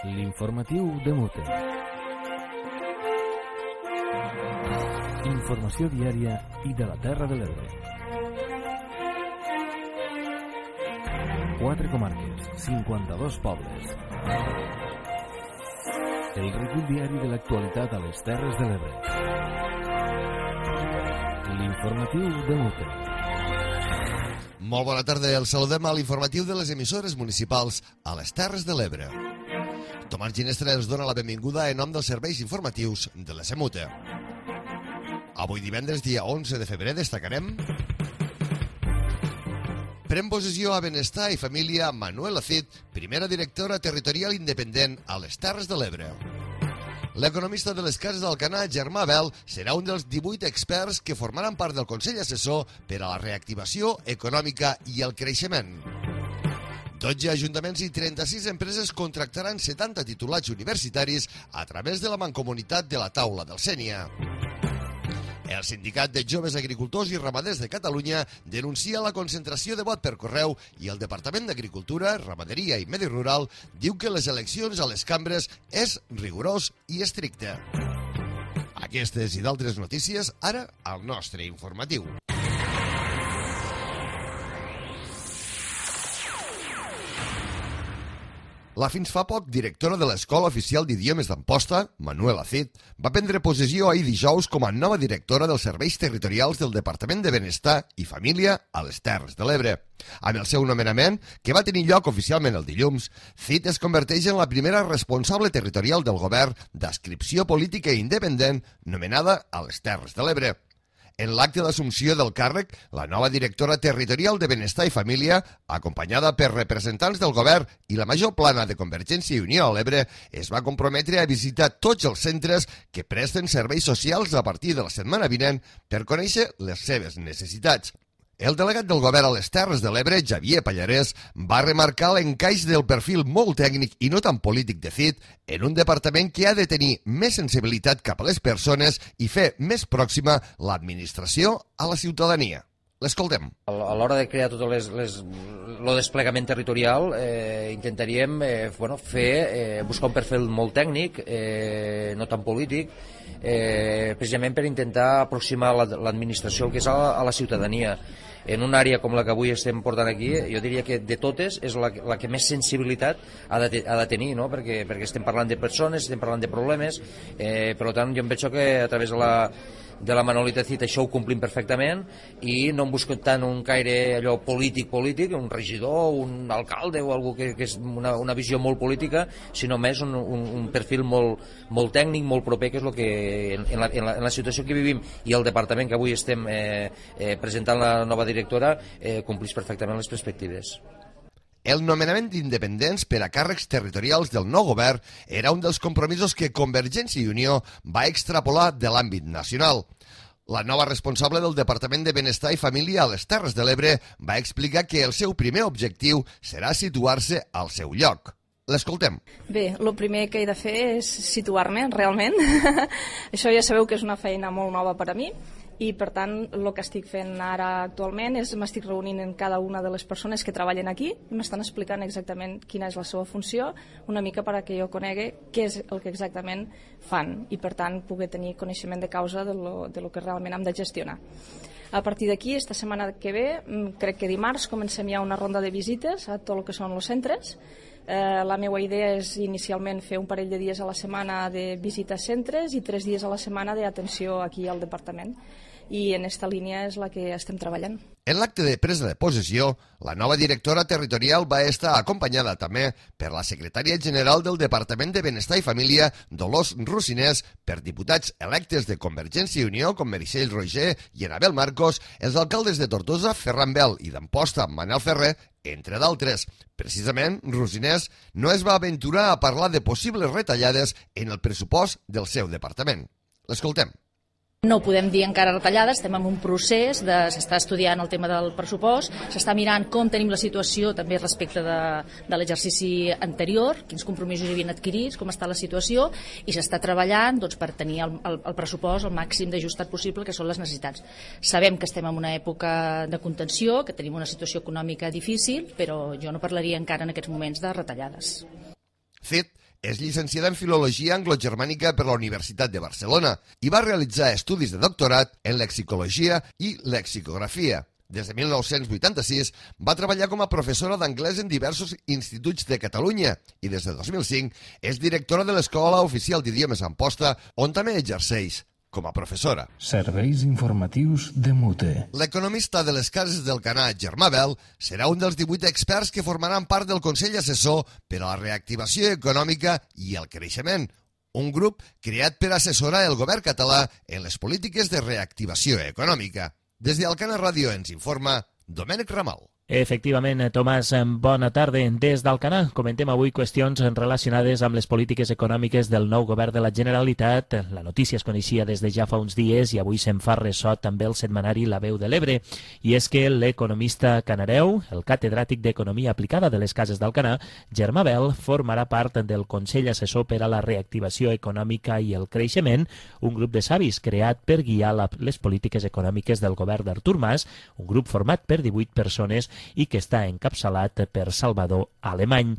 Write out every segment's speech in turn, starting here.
L'informatiu de Mute. Informació diària i de la Terra de l'Ebre. 4 comarques, 52 pobles. El recull diari de l'actualitat a les Terres de l'Ebre. L'informatiu de Mute. Molt bona tarda, el saludem a l'informatiu de les emissores municipals a les Terres de l'Ebre. Tomàs Ginestra ens dona la benvinguda en nom dels serveis informatius de la SEMUTE. Avui divendres, dia 11 de febrer, destacarem: pren possessió a Benestar i Família Manuela Cid, primera directora territorial independent a les Terres de l'Ebre. L'economista de les Cases d'Alcanar, Germà Bel, serà un dels 18 experts que formaran part del Consell Assessor per a la reactivació econòmica i el creixement. 12 ajuntaments i 36 empreses contractaran 70 titulats universitaris a través de la Mancomunitat de la Taula del Sénia. El Sindicat de Joves Agricultors i Ramaders de Catalunya denuncia la concentració de vot per correu i el Departament d'Agricultura, Ramaderia i Medi Rural diu que les eleccions a les cambres és rigorós i estricte. Aquestes i d'altres notícies ara al nostre informatiu. La fins fa poc directora de l'Escola Oficial d'Idiomes d'Amposta, Manuela Cid, va prendre possessió ahir dijous com a nova directora dels serveis territorials del Departament de Benestar i Família a les Terres de l'Ebre. Amb el seu nomenament, que va tenir lloc oficialment el dilluns, Cid es converteix en la primera responsable territorial del govern d'adscripció política independent nomenada a les Terres de l'Ebre. En l'acte d'assumpció del càrrec, la nova directora territorial de Benestar i Família, acompanyada per representants del govern i la major plana de Convergència i Unió a l'Ebre, es va comprometre a visitar tots els centres que presten serveis socials a partir de la setmana vinent per conèixer les seves necessitats. El delegat del govern a les Terres de l'Ebre, Xavier Pallarès, va remarcar l'encaix del perfil molt tècnic i no tan polític de Cid en un departament que ha de tenir més sensibilitat cap a les persones i fer més pròxima l'administració a la ciutadania. L'escoltem. A l'hora de crear tot el desplegament territorial intentaríem buscar un perfil molt tècnic, no tan polític, precisament per intentar aproximar l'administració que és a la ciutadania. En una àrea com la que avui estem portant aquí, jo diria que de totes és la que més sensibilitat ha de tenir, no? perquè estem parlant de persones, estem parlant de problemes, per tant jo em veig que a través de la Manolita Cid això ho complim perfectament i no em busco tant un caire allò polític, un regidor, un alcalde o algú que és una visió molt política, sinó més un perfil molt tècnic, molt proper, que és el que en la situació que vivim i el departament que avui estem presentant la nova directora complís perfectament les perspectives. El nomenament d'independents per a càrrecs territorials del nou govern era un dels compromisos que Convergència i Unió va extrapolar de l'àmbit nacional. La nova responsable del Departament de Benestar i Família a les Terres de l'Ebre va explicar que el seu primer objectiu serà situar-se al seu lloc. L'escoltem. Bé, el primer que he de fer és situar-me, realment. Això ja sabeu que és una feina molt nova per a mi. I per tant el que estic fent ara actualment és m'estic reunint amb cada una de les persones que treballen aquí i m'estan explicant exactament quina és la seva funció, una mica perquè jo conegui què és el que exactament fan i per tant poder tenir coneixement de causa de lo que realment hem de gestionar. A partir d'aquí, esta setmana que ve, crec que dimarts comencem ja una ronda de visites a tot el que són els centres. La meva idea és inicialment fer un parell de dies a la setmana de visita a centres i 3 dies a la setmana d'atenció aquí al departament. I en esta línia és la que estem treballant. En l'acte de presa de possessió, la nova directora territorial va estar acompanyada també per la secretària general del Departament de Benestar i Família, Dolors Rocinés, per diputats electes de Convergència i Unió com Meritxell Roger i Anabel Marcos, els alcaldes de Tortosa, Ferran Bel i d'Amposta, Manel Ferrer, entre d'altres. Precisament, Rocinés no es va aventurar a parlar de possibles retallades en el pressupost del seu departament. L'escoltem. No podem dir encara retallades, estem en un procés, s'està estudiant el tema del pressupost, s'està mirant com tenim la situació també respecte de l'exercici anterior, quins compromisos hi havien adquirits, com està la situació, i s'està treballant per tenir el pressupost el màxim d'ajustat possible, que són les necessitats. Sabem que estem en una època de contenció, que tenim una situació econòmica difícil, però jo no parlaria encara en aquests moments de retallades. Cid És llicenciada en Filologia Anglogermànica per la Universitat de Barcelona i va realitzar estudis de doctorat en lexicologia i lexicografia. Des de 1986 va treballar com a professora d'anglès en diversos instituts de Catalunya i des de 2005 és directora de l'Escola Oficial d'Idiomes Amposta, on també exerceix com a professora. Serveis informatius de Mute. L'economista de les Cases del Canà, Germà Bel, serà un dels 18 experts que formaran part del Consell Assessor per a la Reactivació Econòmica i el Creixement, un grup creat per assessorar el govern català en les polítiques de reactivació econòmica. Des d'Alcana Ràdio ens informa Domènec Ramal. Efectivament, Tomàs, bona tarda. Des d'Alcanar comentem avui qüestions relacionades amb les polítiques econòmiques del nou govern de la Generalitat. La notícia es coneixia des de ja fa uns dies i avui se'n fa ressò també el setmanari La Veu de l'Ebre. I és que l'economista canareu, el catedràtic d'Economia Aplicada de les Cases d'Alcanar, Germà Bel, formarà part del Consell Assessor per a la Reactivació Econòmica i el Creixement, un grup de savis creat per guiar les polítiques econòmiques del govern d'Artur Mas, un grup format per 18 persones i que està encapçalat per Salvador Alemany.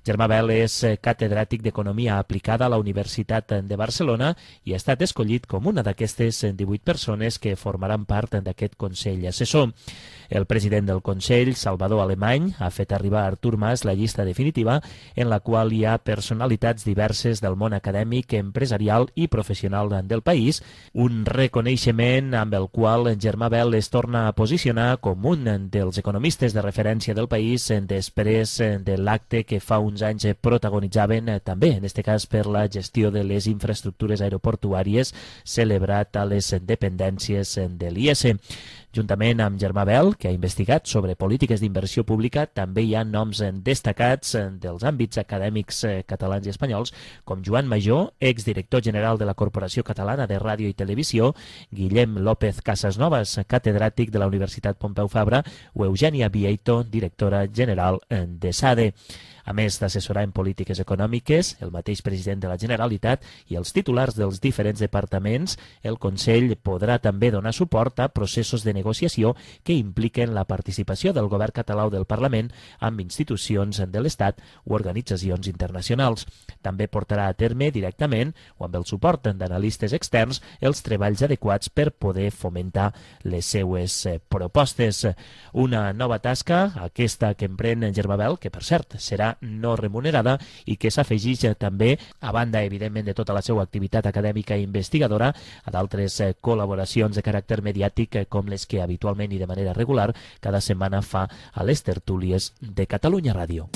Germà Bel és catedràtic d'Economia Aplicada a la Universitat de Barcelona i ha estat escollit com una d'aquestes 18 persones que formaran part d'aquest Consell Assessor. El president del Consell, Salvador Alemany, ha fet arribar a Artur Mas la llista definitiva en la qual hi ha personalitats diverses del món acadèmic, empresarial i professional del país, un reconeixement amb el qual Germà Bel es torna a posicionar com un dels economistes de referència del país després de l'acte que fa uns anys protagonitzaven també, en aquest cas per la gestió de les infraestructures aeroportuàries celebrat a les dependències de l'IES. Juntament amb Germà Bel, que ha investigat sobre polítiques d'inversió pública, també hi ha noms destacats dels àmbits acadèmics catalans i espanyols, com Joan Major, exdirector general de la Corporació Catalana de Ràdio i Televisió, Guillem López Casasnovas, catedràtic de la Universitat Pompeu Fabra, o Eugènia Vieito, directora general de SADE. A més d'assessorar en polítiques econòmiques, el mateix president de la Generalitat i els titulars dels diferents departaments, el Consell podrà també donar suport a processos de negociació que impliquen la participació del govern català o del Parlament amb institucions de l'Estat o organitzacions internacionals. També portarà a terme directament o amb el suport d'analistes externs els treballs adequats per poder fomentar les seues propostes. Una nova tasca, aquesta que emprèn Germà Bel, que per cert serà no remunerada i que s'afegeix també, a banda evidentment de tota la seva activitat acadèmica i investigadora, a d'altres col·laboracions de caràcter mediàtic com les que habitualment i de manera regular cada setmana fa a les tertúlies de Catalunya Ràdio.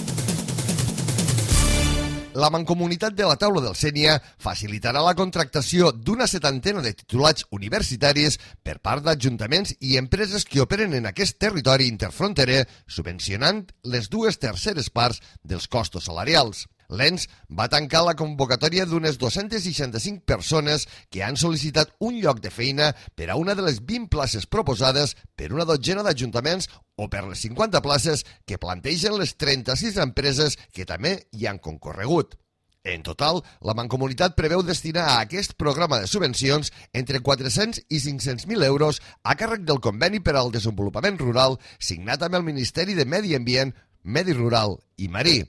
La Mancomunitat de la Taula del Sénia facilitarà la contractació d'una 70ena de titulats universitaris per part d'ajuntaments i empreses que operen en aquest territori interfronterer, subvencionant les 2/3 parts dels costos salarials. L'ENS va tancar la convocatòria d'unes 265 persones que han sol·licitat un lloc de feina per a una de les 20 places proposades per una dotzena d'ajuntaments o per les 50 places que plantegen les 36 empreses que també hi han concorregut. En total, la Mancomunitat preveu destinar a aquest programa de subvencions entre 400 i 500.000 euros a càrrec del Conveni per al Desenvolupament Rural signat amb el Ministeri de Medi Ambient, Medi Rural i Marí.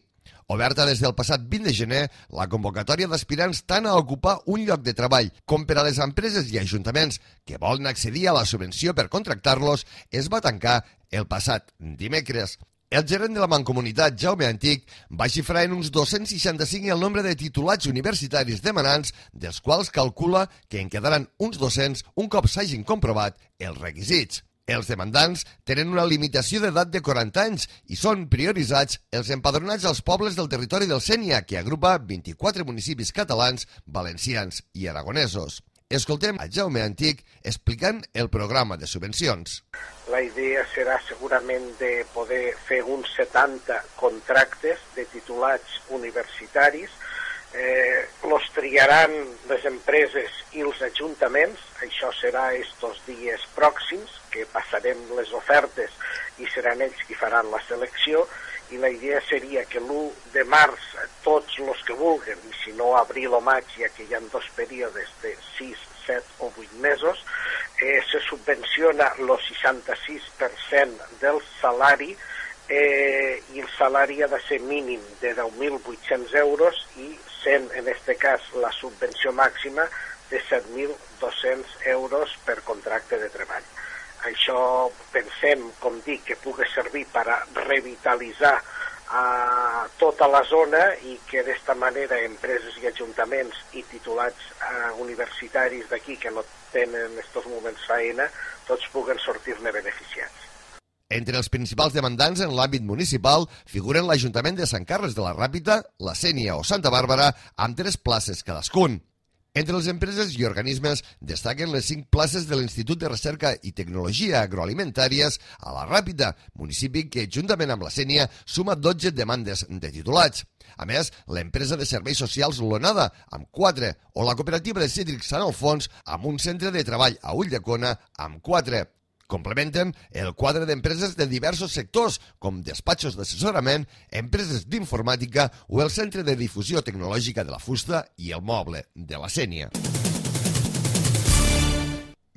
Oberta des del passat 20 de gener, la convocatòria d'aspirants tant a ocupar un lloc de treball com per a les empreses i ajuntaments que volen accedir a la subvenció per contractar-los es va tancar el passat dimecres. El gerent de la Mancomunitat, Jaume Antic, va xifrar en uns 265 el nombre de titulats universitaris demanants, dels quals calcula que en quedaran uns 200 un cop s'hagin comprovat els requisits. Els demandants tenen una limitació d'edat de 40 anys i són prioritzats els empadronats als pobles del territori del Sénia, que agrupa 24 municipis catalans, valencians i aragonesos. Escoltem a Jaume Antic explicant el programa de subvencions. La idea serà segurament de poder fer uns 70 contractes de titulats universitaris. Los triaran les empreses i els ajuntaments. Això serà estos dies pròxims, que passarem les ofertes i seran ells qui faran la selecció. I la idea seria que l'1 de març tots els que vulguen, i si no abril o maig, ja que hi ha 2 períodes de 6, 7 o 8 mesos, se subvenciona el 66% del salari i el salari ha de ser mínim de 10.800 euros i sent, en aquest cas, la subvenció màxima de 7.200 euros per contracte de treball. Això pensem, com dic, que pugui servir per a revitalitzar tota la zona i que d'esta manera empreses i ajuntaments i titulats universitaris d'aquí que no tenen en aquests moments feina, tots puguen sortir-ne beneficiats. Entre els principals demandants en l'àmbit municipal figuren l'Ajuntament de Sant Carles de la Ràpita, la Sénia o Santa Bàrbara, amb 3 places cadascun. Entre les empreses i organismes destaquen les 5 places de l'Institut de Recerca i Tecnologia Agroalimentàries a la Ràpita, municipi que, juntament amb la Sénia, suma 12 demandes de titulats. A més, l'empresa de serveis socials Lonada, amb 4, o la cooperativa de cítrics Sant Alfons, amb un centre de treball a Ulldecona, amb 4. Complementen el quadre d'empreses de diversos sectors, com despatxos d'assessorament, empreses d'informàtica o el Centre de Difusió Tecnològica de la Fusta i el Moble de la Sénia.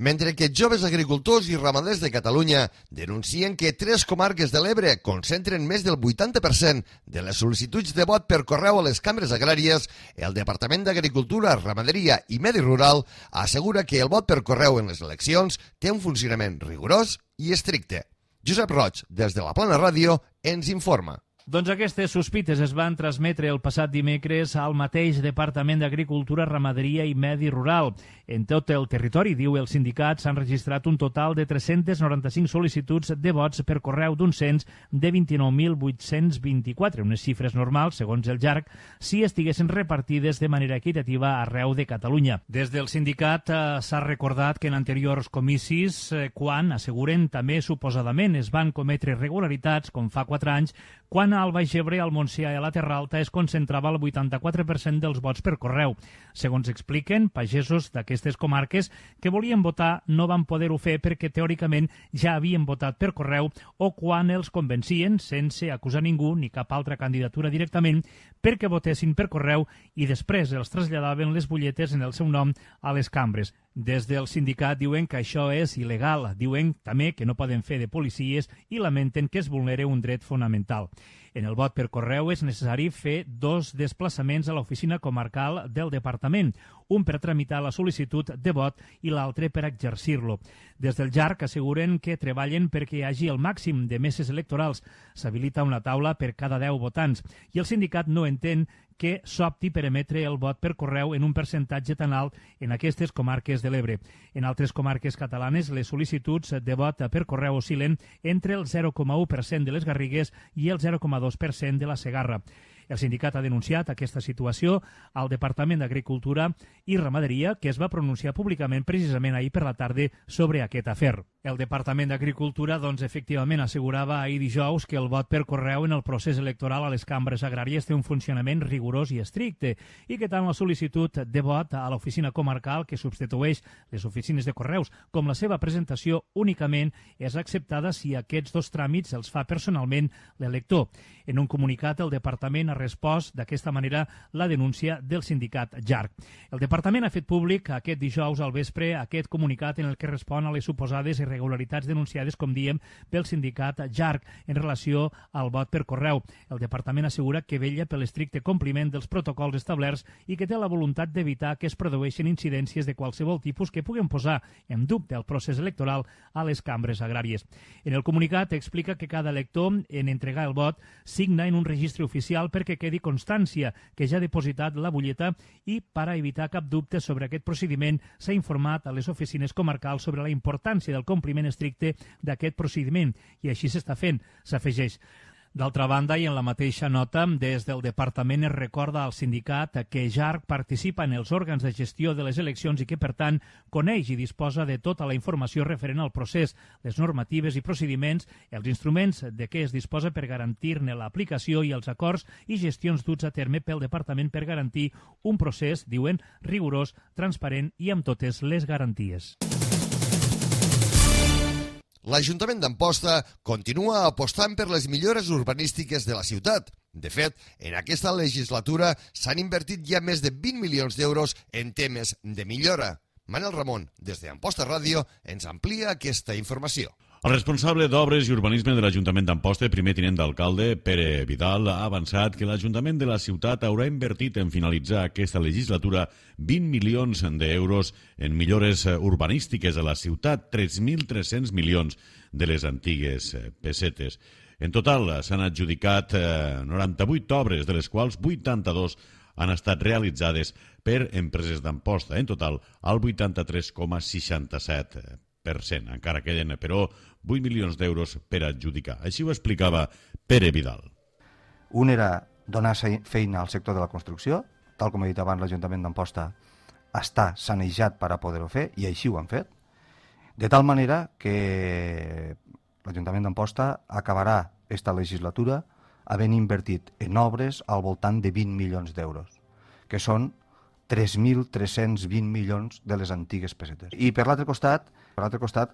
Mentre que joves agricultors i ramaders de Catalunya denuncien que 3 comarques de l'Ebre concentren més del 80% de les sol·licituds de vot per correu a les cambres agràries, el Departament d'Agricultura, Ramaderia i Medi Rural assegura que el vot per correu en les eleccions té un funcionament rigorós i estricte. Josep Roig, des de la Plana Ràdio, ens informa. Doncs aquestes sospites es van transmetre el passat dimecres al mateix Departament d'Agricultura, Ramaderia i Medi Rural. En tot el territori, diu el sindicat, s'han registrat un total de 395 sol·licituds de vots per correu d'un cens de 29.824, unes xifres normals, segons el JARC, si estiguessin repartides de manera equitativa arreu de Catalunya. Des del sindicat s'ha recordat que en anteriors comicis, quan, asseguren també suposadament, es van cometre irregularitats, com fa 4 anys, quan al Baix Ebre, al Montsià i a la Terra Alta es concentrava el 84% dels vots per correu. Segons expliquen, pagesos d'aquestes comarques que volien votar no van poder-ho fer perquè teòricament ja havien votat per correu o quan els convencien, sense acusar ningú ni cap altra candidatura directament, perquè votessin per correu i després els traslladaven les butlletes en el seu nom a les cambres. Des del sindicat diuen que això és il·legal. Diuen també que no poden fer de policies i lamenten que es vulnera un dret fonamental. En el vot per correu és necessari fer 2 desplaçaments a l'oficina comarcal del departament, un per tramitar la sol·licitud de vot i l'altre per exercir-lo. Des del JARC asseguren que treballen perquè hi hagi el màxim de meses electorals. S'habilita una taula per cada 10 votants i el sindicat no entén que s'opti per emetre el vot per correu en un percentatge tan alt en aquestes comarques de l'Ebre. En altres comarques catalanes, les sol·licituds de vot per correu oscil·len entre el 0,1% de les Garrigues i el 0,2% de la Segarra. El sindicat ha denunciat aquesta situació al Departament d'Agricultura i Ramaderia, que es va pronunciar públicament precisament ahir per la tarda sobre aquest afer. El Departament d'Agricultura, doncs, efectivament assegurava ahir dijous que el vot per correu en el procés electoral a les cambres agràries té un funcionament rigorós i estricte i que tant la sol·licitud de vot a l'oficina comarcal, que substitueix les oficines de correus, com la seva presentació únicament és acceptada si aquests 2 tràmits els fa personalment l'elector. En un comunicat, el Departament ha respost d'aquesta manera la denúncia del sindicat JARC. El Departament ha fet públic aquest dijous al vespre aquest comunicat en el que respon a les suposades irregularitats denunciades, com diem, pel sindicat JARC en relació al vot per correu. El Departament assegura que vetlla per l'estricte compliment dels protocols establerts i que té la voluntat d'evitar que es produeixin incidències de qualsevol tipus que puguen posar en dubte el procés electoral a les cambres agràries. En el comunicat explica que cada elector, en entregar el vot, signa en un registre oficial perquè quedi constància que ja ha depositat la butlleta i, per a evitar cap dubte sobre aquest procediment, s'ha informat a les oficines comarcals sobre la importància del compliment estricte d'aquest procediment i així s'està fent, s'afegeix. D'altra banda, i en la mateixa nota, des del Departament es recorda al sindicat que JARC participa en els òrgans de gestió de les eleccions i que, per tant, coneix i disposa de tota la informació referent al procés, les normatives i procediments, els instruments de què es disposa per garantir-ne l'aplicació i els acords i gestions duts a terme pel Departament per garantir un procés, diuen, rigorós, transparent i amb totes les garanties. L'Ajuntament d'Amposta continua apostant per les millores urbanístiques de la ciutat. De fet, en aquesta legislatura s'han invertit ja més de 20 milions d'euros en temes de millora. Manel Ramon, des d'Amposta Ràdio, ens amplia aquesta informació. El responsable d'Obres i Urbanisme de l'Ajuntament d'Amposta, primer tinent d'alcalde, Pere Vidal, ha avançat que l'Ajuntament de la ciutat haurà invertit en finalitzar aquesta legislatura 20 milions d'euros en millores urbanístiques a la ciutat, 3.300 milions de les antigues pessetes. En total s'han adjudicat 98 obres, de les quals 82 han estat realitzades per empreses d'Amposta. En total, el 83,67%. Encara queden, però, 8 milions d'euros per adjudicar. Així ho explicava Pere Vidal. Un era donar feina al sector de la construcció, tal com he dit abans, l'Ajuntament d'Amposta està sanejat per a poder-ho fer, i així ho han fet, de tal manera que l'Ajuntament d'Amposta acabarà esta legislatura havent invertit en obres al voltant de 20 milions d'euros, que són 3.320 milions de les antigues pessetes. I per l'altre costat,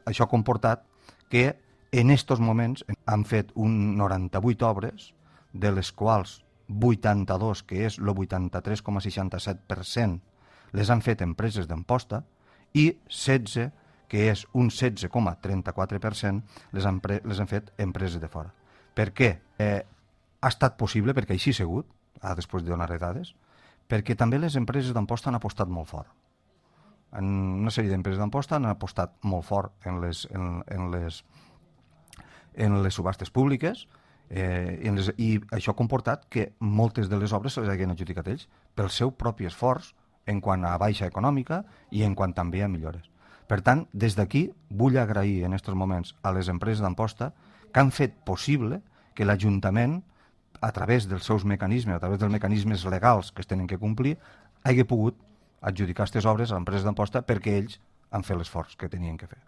això ha comportat que en estos moments han fet 98 obres, de les quals 82, que és el 83,67%, les han fet empreses d'Amposta, i 16, que és un 16,34%, les han fet empreses de fora. Per què? Ha estat possible, perquè així ha sigut, després de donar dades, perquè també les empreses d'Amposta han apostat molt fort. En una sèrie d'empreses d'Amposta han apostat molt fort en les subhastes públiques, i això ha comportat que moltes de les obres se les hagin adjudicat ells pel seu propi esforç en quant a baixa econòmica i en quant també a millores. Per tant, des d'aquí vull agrair en aquests moments a les empreses d'Amposta que han fet possible que l'Ajuntament, a través dels seus mecanismes, a través dels mecanismes legals que es tenen que complir, hagi pogut adjudicar aquestes obres a empreses d'Amposta perquè ells han fet l'esforç que tenien que fer.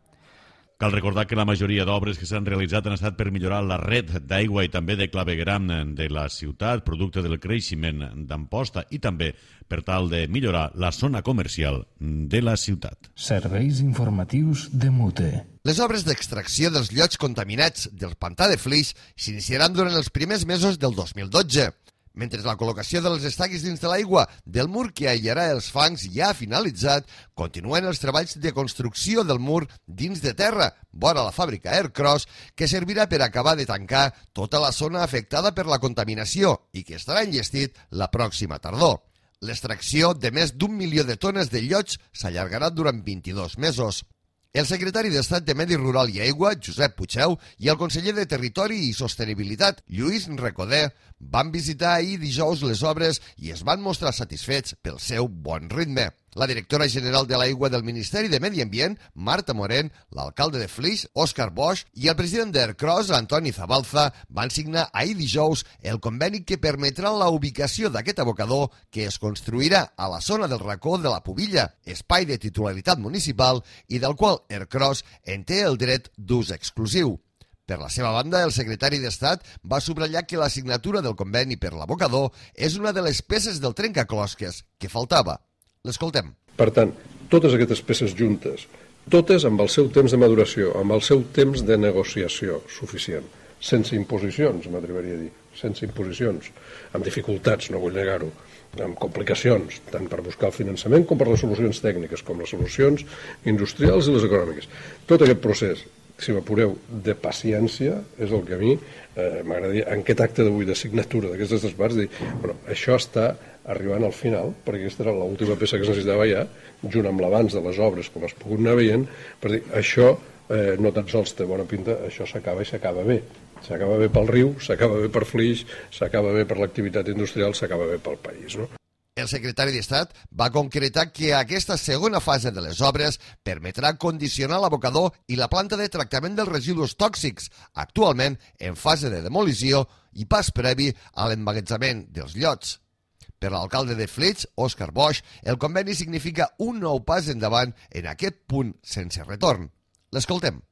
Cal recordar que la majoria d'obres que s'han realitzat han estat per millorar la red d'aigua i també de clavegueram de la ciutat, producte del creixement d'Amposta, i també per tal de millorar la zona comercial de la ciutat. Serveis informatius de Mute. Les obres d'extracció dels llots contaminats del pantà de Flix s'iniciaran durant els primers mesos del 2012. Mentre la col·locació de les estaques dins de l'aigua del mur que aïllarà els fangs ja ha finalitzat, continuen els treballs de construcció del mur dins de terra, vora la fàbrica Aircross, que servirà per acabar de tancar tota la zona afectada per la contaminació i que estarà enllestit la pròxima tardor. L'extracció de més d'1 milió de tones de llots s'allargarà durant 22 mesos. El secretari d'Estat de Medi Rural i Aigua, Josep Puigdeu, i el conseller de Territori i Sostenibilitat, Lluís Recoder, van visitar ahir dijous les obres i es van mostrar satisfets pel seu bon ritme. La directora general de l'Aigua del Ministeri de Medi Ambient, Marta Morén, l'alcalde de Flix, Òscar Bosch, i el president d'Aircross, Antoni Zabalza, van signar ahir dijous el conveni que permetrà la ubicació d'aquest abocador que es construirà a la zona del racó de la Pubilla, espai de titularitat municipal i del qual Aircross en té el dret d'ús exclusiu. Per la seva banda, el secretari d'Estat va subratllar que la signatura del conveni per l'abocador és una de les peces del trencaclosques que faltava. L'escoltem. Per tant, totes aquestes peces juntes, totes amb el seu temps de maduració, amb el seu temps de negociació suficient, sense imposicions, m'atreviria a dir, sense imposicions, amb dificultats, no vull negar-ho, amb complicacions, tant per buscar el finançament com per les solucions tècniques, com les solucions industrials i les econòmiques. Tot aquest procés, si m'apureu, de paciència, és el que a mi m'agradaria, en aquest acte d'avui de signatura d'aquestes tres parts, dir, bueno, això està arribant al final, perquè aquesta era l'última peça que es necessitava ja, junt amb l'abans de les obres, com has pogut anar veient, per dir, això no tan sols té bona pinta, això s'acaba i s'acaba bé. S'acaba bé pel riu, s'acaba bé per Flix, s'acaba bé per l'activitat industrial, s'acaba bé pel país, no? El secretari d'Estat va concretar que aquesta segona fase de les obres permetrà condicionar l'abocador i la planta de tractament dels residus tòxics, actualment en fase de demolició i pas previ a l'emmagatzemament dels llots. Per l'alcalde de Flix, Òscar Bosch, el conveni significa un nou pas endavant en aquest punt sense retorn. L'escoltem.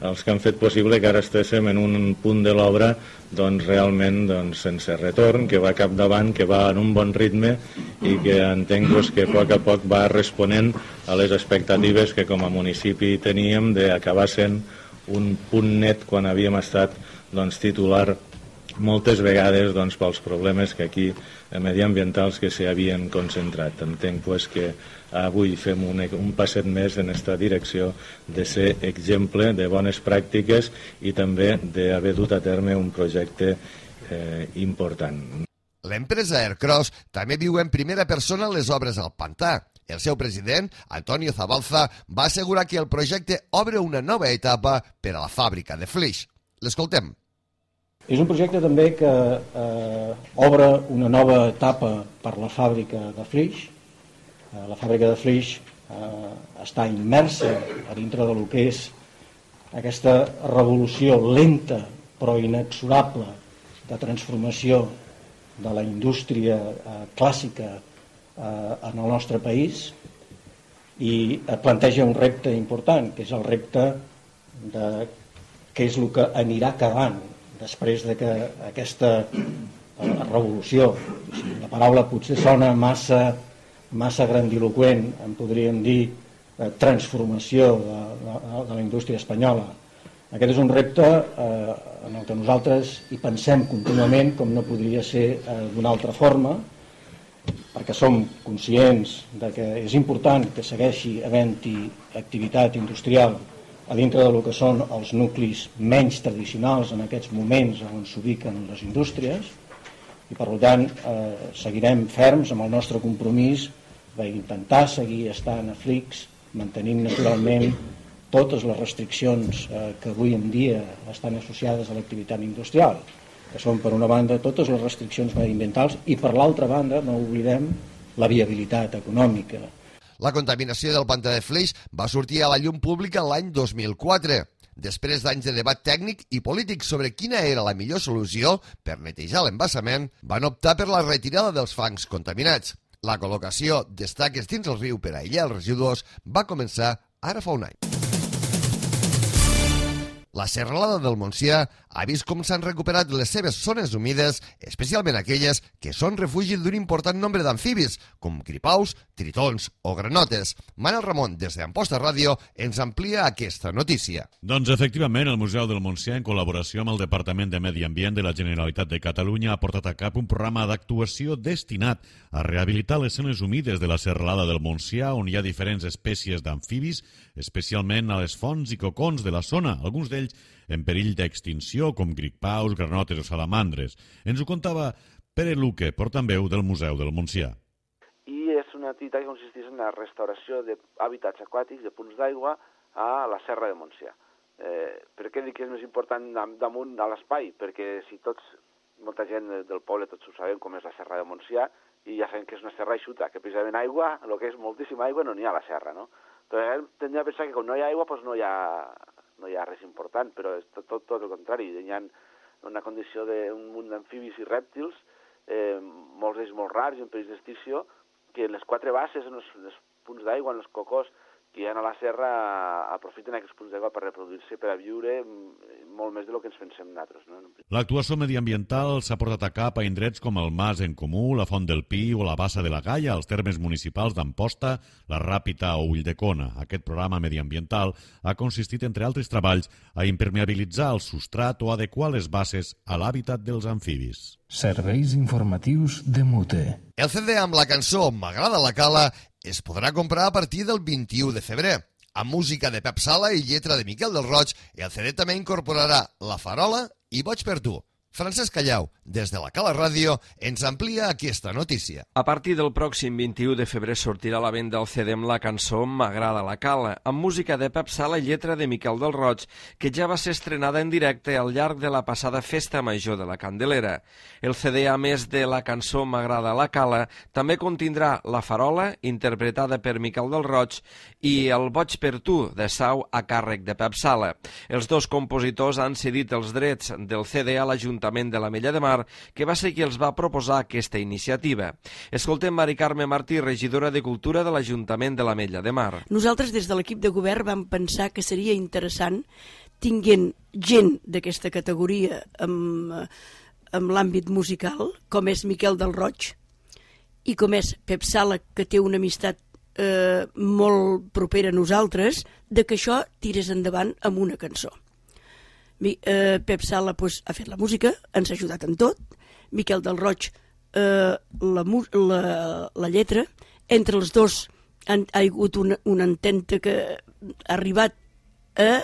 Els que han fet possible que ara estéssim en un punt de l'obra realment sense retorn, que va capdavant, que va en un bon ritme i que entenc que a poc va responent a les expectatives que com a municipi teníem d'acabar sent un punt net quan havíem estat titular moltes vegades doncs, pels problemes que aquí mediambientals que s'hi havien concentrat. Entenc pues, que avui fem un passet més en aquesta direcció de ser exemple de bones pràctiques i també d'haver dut a terme un projecte important. L'empresa Aircross també viu en primera persona les obres al pantà. El seu president, Antonio Zabalza, va assegurar que el projecte obre una nova etapa per a la fàbrica de Flix. L'escoltem. És un projecte també que obre una nova etapa per la fàbrica de Flix. La fàbrica de Flix està immersa a dintre del que és aquesta revolució lenta però inexorable de transformació de la indústria clàssica en el nostre país i planteja un repte important, que és el repte de què és el que anirà acabant després de que aquesta revolució, la paraula potser sona massa grandiloquent, en podríem dir transformació de la indústria espanyola. Aquest és un repte en el que nosaltres hi pensem contínuament, com no podria ser d'una altra forma, perquè som conscients de que és important que segueixi havent-hi activitat industrial a dintre del que són els nuclis menys tradicionals en aquests moments on s'ubiquen les indústries i per tant seguirem ferms amb el nostre compromís d'intentar seguir estant a Flix, mantenint naturalment totes les restriccions que avui en dia estan associades a l'activitat industrial, que són per una banda totes les restriccions mediambientals i per l'altra banda no oblidem la viabilitat econòmica. La contaminació del pantà de Flix va sortir a la llum pública l'any 2004. Després d'anys de debat tècnic i polític sobre quina era la millor solució per netejar l'embassament, van optar per la retirada dels fangs contaminats. La col·locació d'estaques dins el riu per aïllar els residus va començar ara fa un any. La serralada del Montsià ha vist com s'han recuperat les seves zones humides, especialment aquelles que són refugi d'un important nombre d'amfibis, com gripaus, tritons o granotes. Manel Ramon, des d'Amposta Ràdio, ens amplia aquesta notícia. Doncs efectivament, el Museu del Montsià, en col·laboració amb el Departament de Medi Ambient de la Generalitat de Catalunya, ha portat a cap un programa d'actuació destinat a rehabilitar les zones humides de la serralada del Montsià, on hi ha diferents espècies d'amfibis, especialment a les fonts i cocons de la zona, alguns d'ells en perill d'extinció, com gripaus, granotes o salamandres. Ens ho contava Pere Luque, portaveu del Museu del Montsià. I és una activitat que consisteix en la restauració d'hàbitats aquàtics, de punts d'aigua, a la serra de Montsià. Per què dic que és més important damunt a l'espai? Perquè si molta gent del poble, tots ho sabem com és la serra de Montsià, i ja sabem que és una serra eixuta, que precisament aigua, el que és moltíssima aigua, no n'hi ha a la serra, no? Doncs tendria a pensar que quan no hi ha aigua, doncs no hi ha res important, però és tot el contrari. Hi ha una condició d'un munt d'amfibis i rèptils, molts d'ells molt rars i en perill d'extinció, que en les 4 basses, en els punts d'aigua, en els cocors que hi ha a la serra, aprofiten aquests punts d'aigua per reproduir-se, per a viure molt més del que ens pensem nosaltres. No? L'actuació mediambiental s'ha portat a cap a indrets com el Mas en Comú, la Font del Pi o la Bassa de la Galla, als termes municipals d'Amposta, la Ràpita o Ulldecona. Aquest programa mediambiental ha consistit, entre altres treballs, a impermeabilitzar el substrat o adequar les basses a l'hàbitat dels amfibis. Serveis informatius de Mute. El CD amb la cançó M'agrada la cala es podrà comprar a partir del 21 de febrer. Amb música de Pep Sala i lletra de Miquel del Roig, el CD també incorporarà La Farola i Boig per tu. Francesc Callau, des de la Cala Ràdio, ens amplia aquesta notícia. A partir del pròxim 21 de febrer sortirà a la venda el CD amb la cançó M'agrada la cala, amb música de Pep Sala i lletra de Miquel del Roig, que ja va ser estrenada en directe al llarg de la passada Festa Major de la Candelera. El CD, a més de la cançó M'agrada la cala, també contindrà La Farola, interpretada per Miquel del Roig, i El Boig per tu, de Sau, a càrrec de Pep Sala. Els dos compositors han cedit els drets del CD a l'Ajuntament de l'Ametlla de Mar, que va ser qui els va proposar aquesta iniciativa. Escoltem Mari Carme Martí, regidora de Cultura de l'Ajuntament de l'Ametlla de Mar. Nosaltres, des de l'equip de govern, vam pensar que seria interessant, tinguent gent d'aquesta categoria amb l'àmbit musical, com és Miquel del Roig, i com és Pep Sala, que té una amistat molt propera a nosaltres, de que això tirés endavant amb una cançó. Pep Sala ha fet la música, ens ha ajudat en tot, Miquel del Roig la lletra, entre els dos ha hagut una ententa que ha arribat a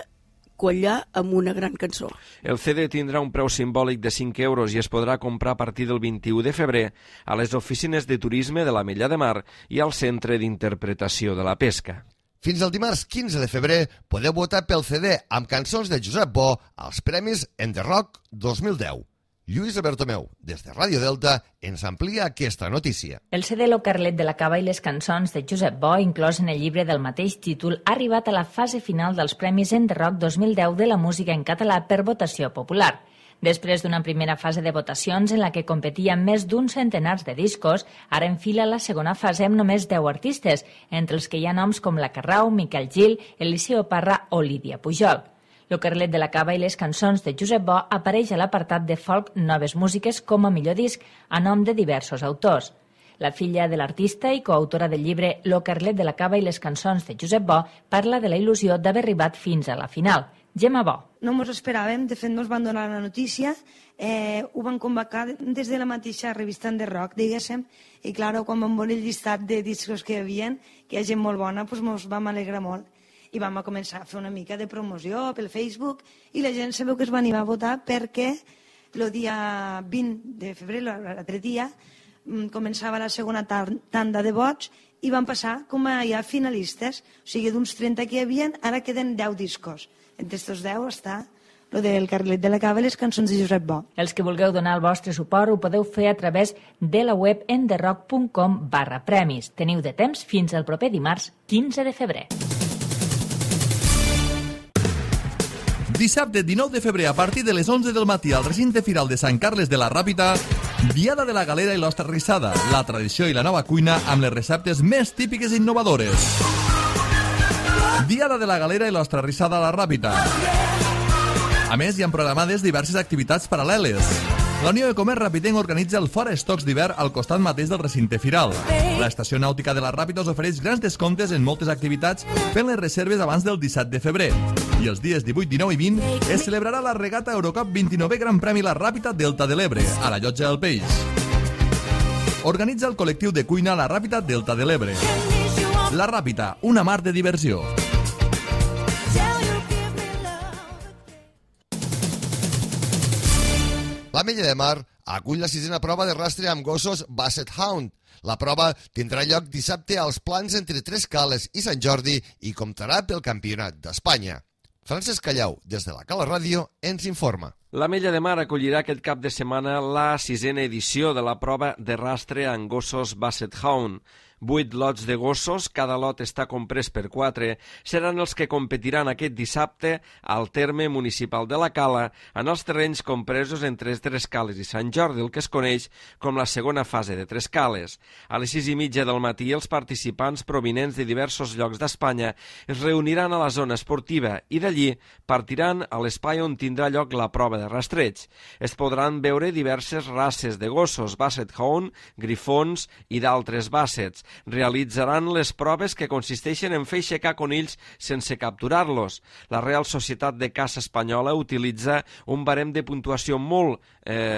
quallar amb una gran cançó. El CD tindrà un preu simbòlic de 5 euros i es podrà comprar a partir del 21 de febrer a les oficines de turisme de l'Ametlla de Mar i al Centre d'Interpretació de la Pesca. Fins al dimarts 15 de febrer podeu votar pel CD amb cançons de Josep Bo als Premis En The Rock 2010. Lluís Bertomeu, des de Ràdio Delta, ens amplia aquesta notícia. El CD Lo Carlet de la Cava i les cançons de Josep Bo, inclòs en el llibre del mateix títol, ha arribat a la fase final dels Premis En The Rock 2010 de la música en català per votació popular. Després d'una primera fase de votacions en la que competien més d'un centenars de discos, ara enfila la segona fase amb només 10 artistes, entre els que hi ha noms com La Carrau, Miquel Gil, Eliseo Parra o Lídia Pujol. Lo Carlet de la Cava i les cançons de Josep Bo apareix a l'apartat de folk Noves Músiques com a millor disc a nom de diversos autors. La filla de l'artista i coautora del llibre Lo Carlet de la Cava i les cançons de Josep Bo parla de la il·lusió d'haver arribat fins a la final. Gemma Bo. No ens esperàvem, de fet no ens van donar la notícia, ho van convocar des de la mateixa revista En The Rock, diguéssim, i clar, quan vam veure el llistat de discos que hi havia, que hi ha gent molt bona, doncs ens vam alegrar molt. I vam començar a fer una mica de promoció pel Facebook i la gent sabeu que es va animar a votar perquè el dia 20 de febrer, l'altre dia, començava la segona tanda de vots i van passar com a ja finalistes. O sigui, d'uns 30 que hi havia, ara queden 10 discos. Entre aquests 10 està el del Carlet de la Cava i les cançons de Josep Bo. Els que vulgueu donar el vostre suport ho podeu fer a través de la web enderrock.com/premis. Teniu de temps fins al proper dimarts 15 de febrer. Dissabte 19 de febrer a partir de les 11 del matí al recinte firal de Sant Carles de la Ràpita, Diada de la Galera i l'Ostra Rissada, la tradició i la nova cuina amb les receptes més típiques i innovadores. Diada de la Galera i l'Ostra Rissada a la Ràpita. A més, hi han programades diverses activitats paral·leles. La Unió de Comerç Rapitenc organitza el Fora Estocs d'hivern al costat mateix del recinte firal. L'Estació Nàutica de la Ràpita us ofereix grans descomptes en moltes activitats fent les reserves abans del 17 de febrer. I els dies 18, 19 i 20 es celebrarà la regata Eurocup 29è Gran Premi La Ràpita Delta de l'Ebre, a la Llotja del Peix. Organitza el col·lectiu de cuina La Ràpita Delta de l'Ebre. La Ràpita, una mar de diversió. L'Ametlla de Mar acull la 6a prova de rastre amb gossos Basset Hound. La prova tindrà lloc dissabte als Plans entre Tres Cales i Sant Jordi i comptarà pel Campionat d'Espanya. Francesc Callau, des de la Cala Ràdio, ens informa. L'Ametlla de Mar acollirà aquest cap de setmana la 6a edició de la prova de rastre amb gossos Basset Hound. 8 lots de gossos, cada lot està comprès per 4, seran els que competiran aquest dissabte al terme municipal de la Cala en els terrenys compresos entre Tres Cales i Sant Jordi, el que es coneix com la segona fase de Tres Cales. A les 6:30 del matí, els participants provinents de diversos llocs d'Espanya es reuniran a la zona esportiva i d'allí partiran a l'espai on tindrà lloc la prova de rastreig. Es podran veure diverses races de gossos, Basset Hound, grifons i d'altres bassets. Realitzaran les proves que consisteixen en fer aixecar conills sense capturar-los. La Real Societat de Caça Espanyola utilitza un barem de puntuació molt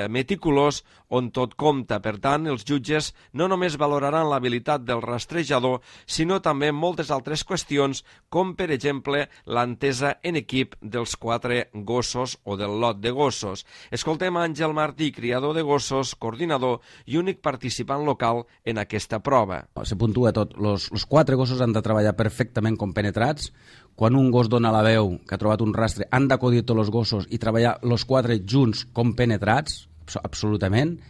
meticulós on tot compta. Per tant, els jutges no només valoraran l'habilitat del rastrejador, sinó també moltes altres qüestions, com per exemple l'entesa en equip dels 4 gossos o del lot de gossos. Escoltem Àngel Martí, criador de gossos, coordinador i únic participant local en aquesta prova. Se puntua tot. Los 4 gossos han de treballar perfectament compenetrats. Quan un gos dona la veu, que ha trobat un rastre, han d'acudir tots els gossos i treballar los 4 junts compenetrats, absolutament.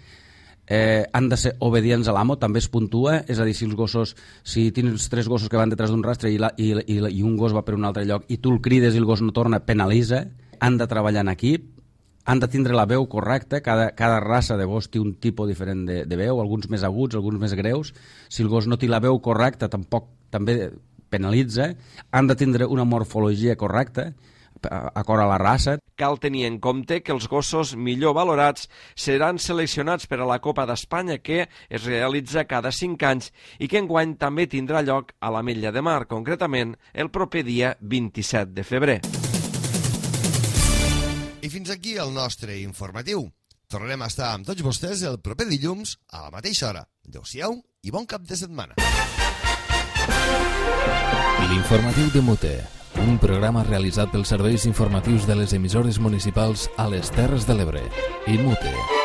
Han de ser obedients a l'amo, també es puntua, és a dir, si tens 3 gossos que van detrás d'un rastre i un gos va per un altre lloc i tu el crides i el gos no torna, penalitza. Han de treballar en equip, han de tindre la veu correcta, cada raça de gos té un tipus diferent de veu, alguns més aguts, alguns més greus. Si el gos no té la veu correcta, també penalitza. Han de tindre una morfologia correcta, acord a la raça. Cal tenir en compte que els gossos millor valorats seran seleccionats per a la Copa d'Espanya, que es realitza cada 5 anys i que enguany també tindrà lloc a l'Ametlla de Mar, concretament el proper dia 27 de febrer. fins aquí el nostre informatiu. Tornarem a estar amb tots vostès el proper dilluns a la mateixa hora. Adéu-siau i bon cap de setmana. L'informatiu de Mute, un programa realitzat pels serveis informatius de les emissores municipals a les Terres de l'Ebre i Mute.